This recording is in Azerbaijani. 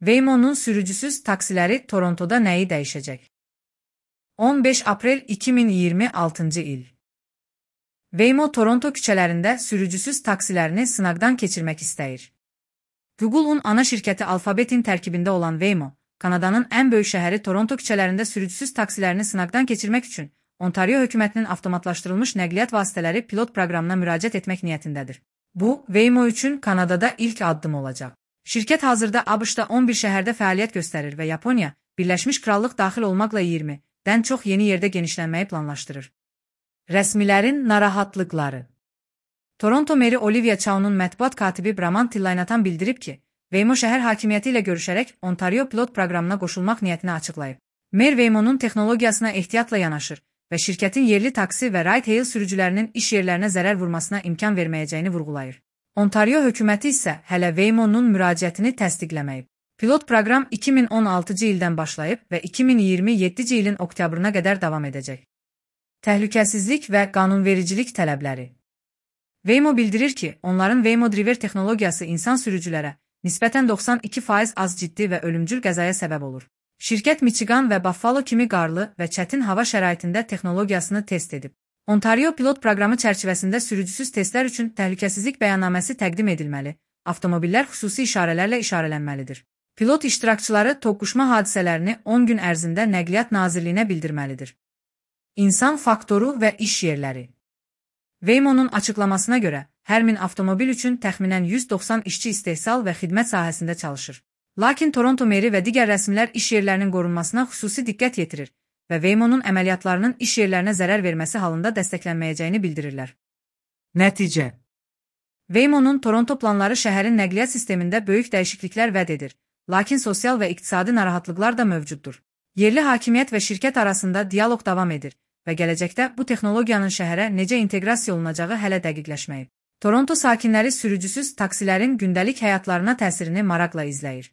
Waymo'nun sürücüsüz taksiləri Torontoda nəyi dəyişəcək? 15 aprel 2026 il. Waymo Toronto küçələrində sürücüsüz taksilərini sınaqdan keçirmək istəyir. Google'un ana şirkəti Alphabet'in tərkibində olan Waymo, Kanadanın ən böyük şəhəri Toronto küçələrində sürücüsüz taksilərini sınaqdan keçirmək üçün Ontario hökumətinin avtomatlaşdırılmış nəqliyyat vasitələri pilot proqramına müraciət etmək niyyətindədir. Bu, Waymo üçün Kanadada ilk addım olacaq. Şirkət hazırda ABŞ-da 11 şəhərdə fəaliyyət göstərir və Yaponiya, Birləşmiş Krallıq daxil olmaqla 20-dən çox yeni yerdə genişlənməyi planlaşdırır. Rəsmilərin narahatlıqları. Toronto meri Olivia Chow'nun mətbuat katibi Braman Tillaynatan bildirib ki, Waymo şəhər hakimiyyəti ilə görüşərək Ontario pilot proqramına qoşulmaq niyyətini açıqlayıb. Mer Waymo'nun texnologiyasına ehtiyatla yanaşır və şirkətin yerli taksi və ride-hail sürücülərinin iş yerlərinə zərər vurmasına imkan verməyəcəyini vurğulayır. Ontario hökuməti isə hələ Waymo'nun müraciətini təsdiqləməyib. Pilot proqram 2016-cı ildən başlayıb və 2027-ci ilin oktyabrına qədər davam edəcək. Təhlükəsizlik və qanunvericilik tələbləri. Waymo bildirir ki, onların Waymo Driver texnologiyası insan sürücülərə nisbətən 92% az ciddi və ölümcül qəzaya səbəb olur. Şirkət Michigan və Buffalo kimi qarlı və çətin hava şəraitində texnologiyasını test edib. Ontario pilot proqramı çərçivəsində sürücüsüz testlər üçün təhlükəsizlik bəyannaməsi təqdim edilməli, avtomobillər xüsusi işarələrlə işarələnməlidir. Pilot iştirakçıları toqquşma hadisələrini 10 gün ərzində Nəqliyyat Nazirliyinə bildirməlidir. İnsan faktoru və iş yerləri. Waymo'nun açıqlamasına görə, hər 1000 avtomobil üçün təxminən 190 işçi istehsal və xidmət sahəsində çalışır. Lakin Toronto meri və digər rəsmilər iş yerlərinin qorunmasına xüsusi diqqət yetirir və Waymo'nun əməliyyatlarının iş yerlərinə zərər verməsi halında dəstəklənməyəcəyini bildirirlər. Nəticə. Waymo'nun Toronto planları şəhərin nəqliyyat sistemində böyük dəyişikliklər vəd edir, lakin sosial və iqtisadi narahatlıqlar da mövcuddur. Yerli hakimiyyət və şirkət arasında dialoq davam edir və gələcəkdə bu texnologiyanın şəhərə necə inteqrasiya olunacağı hələ dəqiqləşməyib. Toronto sakinləri sürücüsüz taksilərin gündəlik həyatlarına təsirini maraqla izləyir.